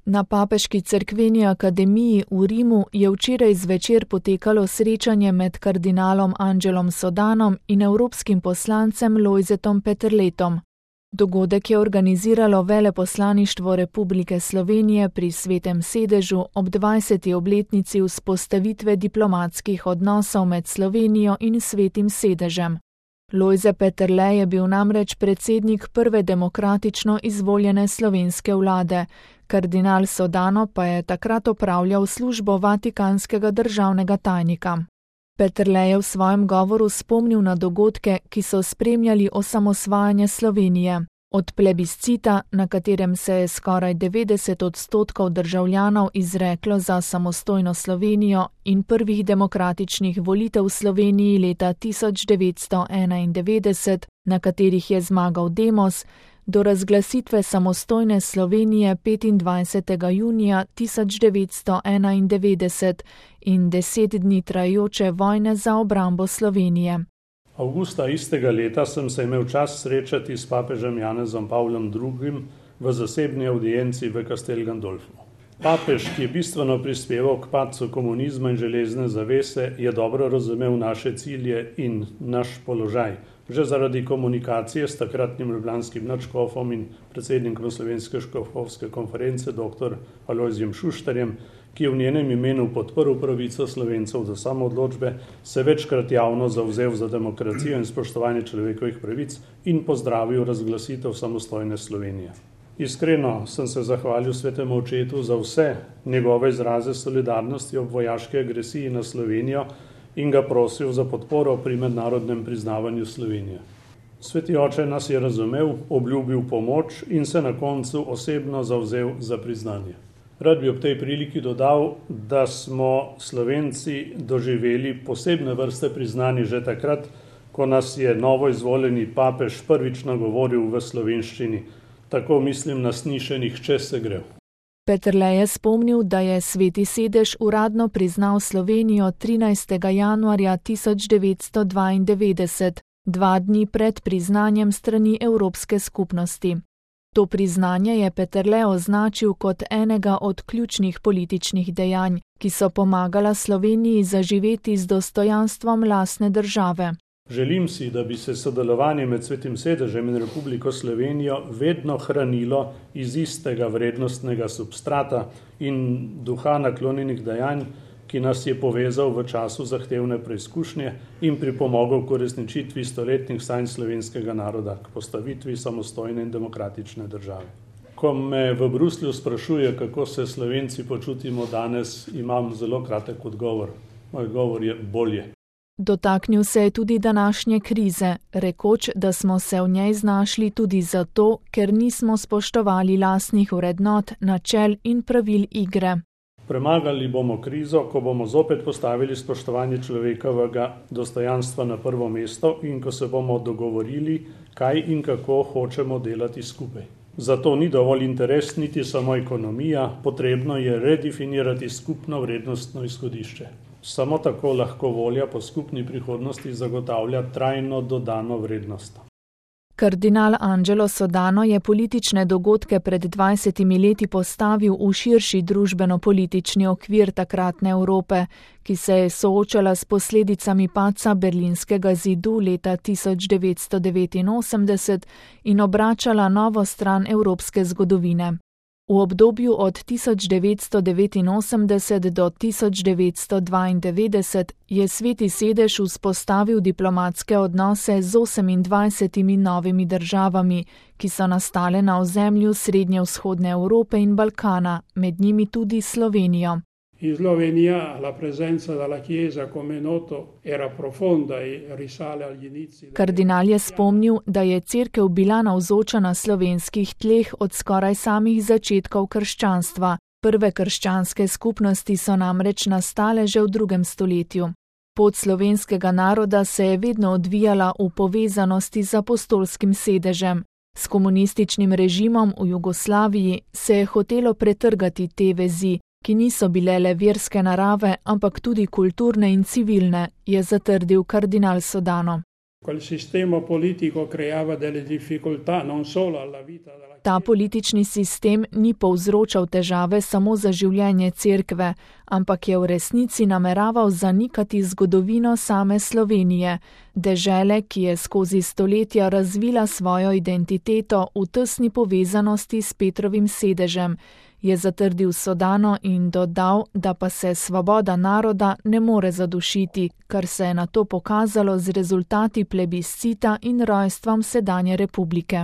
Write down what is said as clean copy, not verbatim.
Na Papeški cerkveni akademiji v Rimu je včeraj zvečer potekalo srečanje med kardinalom Angelom Sodanom in evropskim poslancem Lojzetom Peterletom. Dogodek je organiziralo Veleposlaništvo Republike Slovenije pri Svetem sedežu ob 20. obletnici vzpostavitve diplomatskih odnosov med Slovenijo in Svetim sedežem. Lojze Peterle je bil namreč predsednik prve demokratično izvoljene slovenske vlade, kardinal Sodano pa je takrat opravljal službo vatikanskega državnega tajnika. Peterle je v svojem govoru spomnil na dogodke, ki so spremljali osamosvajanje Slovenije. Od plebiscita, na katerem se je skoraj 90% državljanov izreklo za samostojno Slovenijo, in prvih demokratičnih volitev v Sloveniji leta 1991, na katerih je zmagal Demos, do razglasitve samostojne Slovenije 25. junija 1991 in 10 dni trajajoče vojne za obrambo Slovenije. Avgusta istega leta sem se imel čas srečati s papežem Janezom Pavlom II. V zasebni audienci v Castel Gandolfu. Papež, ki je bistveno prispeval k padcu komunizma in železne zavese, je dobro razumel naše cilje in naš položaj. Že zaradi komunikacije s takratnim ljubljanskim nadškofom in predsednikom Slovenske škofovske konference dr. Alojzijem Šuštarjem, ki je v njenem imenu podprl pravico Slovencev do samoodločbe, se večkrat javno zavzel za demokracijo in spoštovanje človekovih pravic in pozdravil razglasitev samostojne Slovenije. Iskreno sem se zahvalil svetemu očetu za vse njegove izraze solidarnosti ob vojaški agresiji na Slovenijo in ga prosil za podporo pri mednarodnem priznavanju Slovenije. Sveti oče nas je razumel, obljubil pomoč in se na koncu osebno zavzel za priznanje. Rad bi ob tej priliki dodal, da smo Slovenci doživeli posebne vrste priznanja že takrat, ko nas je novo izvoljeni papež prvič nagovoril v slovenščini. Tako mislim na snišenih če se gre. Peterle je spomnil, da je Sveti sedež uradno priznal Slovenijo 13. januarja 1992, 2 dni pred priznanjem strani Evropske skupnosti. To priznanje je Peterle označil kot enega od ključnih političnih dejanj, ki so pomagala Sloveniji zaživeti z dostojanstvom lastne države. Želim si, da bi se sodelovanje med Svetim sedežem in Republiko Slovenijo vedno hranilo iz istega vrednostnega substrata in duha naklonjenih dejanj, ki nas je povezal v času zahtevne preizkušnje in pripomogel k uresničitvi stoletnih sanj slovenskega naroda, k postavitvi samostojne in demokratične države. Ko me v Bruslju sprašuje, kako se Slovenci počutimo danes, imam zelo kratek odgovor. Moj odgovor je bolje. Dotaknil se je tudi današnje krize, rekoč, da smo se v njej znašli tudi zato, ker nismo spoštovali lastnih vrednot, načel in pravil igre. Premagali bomo krizo, ko bomo zopet postavili spoštovanje človekovega dostojanstva na prvo mesto in ko se bomo dogovorili, kaj in kako hočemo delati skupaj. Zato ni dovolj interes niti samo ekonomija, potrebno je redefinirati skupno vrednostno izhodišče. Samo tako lahko volja po skupni prihodnosti zagotavlja trajno dodano vrednost. Kardinal Angelo Sodano je politične dogodke pred 20 leti postavil v širši družbeno-politični okvir takratne Evrope, ki se je soočala s posledicami padca Berlinskega zidu leta 1989 in obračala novo stran evropske zgodovine. V obdobju od 1989 do 1992 je Sveti sedež vzpostavil diplomatske odnose z 28 novimi državami, ki so nastale na ozemlju srednjevzhodne Evrope in Balkana, med njimi tudi Slovenijo. In Slovenija, la presenza della Chiesa, come noto, era profonda e risale agli inizi. Kardinal je spomnil, da je cerkev bila navzoča na slovenskih tleh od skoraj samih začetkov krščanstva. Prve krščanske skupnosti so namreč nastale že v 2. stoletju. Pot slovenskega naroda se je vedno odvijala v povezanosti z apostolskim sedežem. S komunističnim režimom v Jugoslaviji se je hotelo pretrgati te vezi, ki niso bile le verske narave, ampak tudi kulturne in civilne, je zatrdil kardinal Sodano. Quel sistema politico creava delle difficoltà non solo alla vita della Ta politični sistem ni povzročal težave samo za življenje cerkve, ampak je v resnici nameraval zanikati zgodovino same Slovenije, dežele, ki je skozi stoletja razvila svojo identiteto v tesni povezanosti s Petrovim sedežem, je zatrdil Sodano in dodal, da pa se svoboda naroda ne more zadušiti, kar se je nato pokazalo z rezultati plebiscita in rojstvom sedanje republike.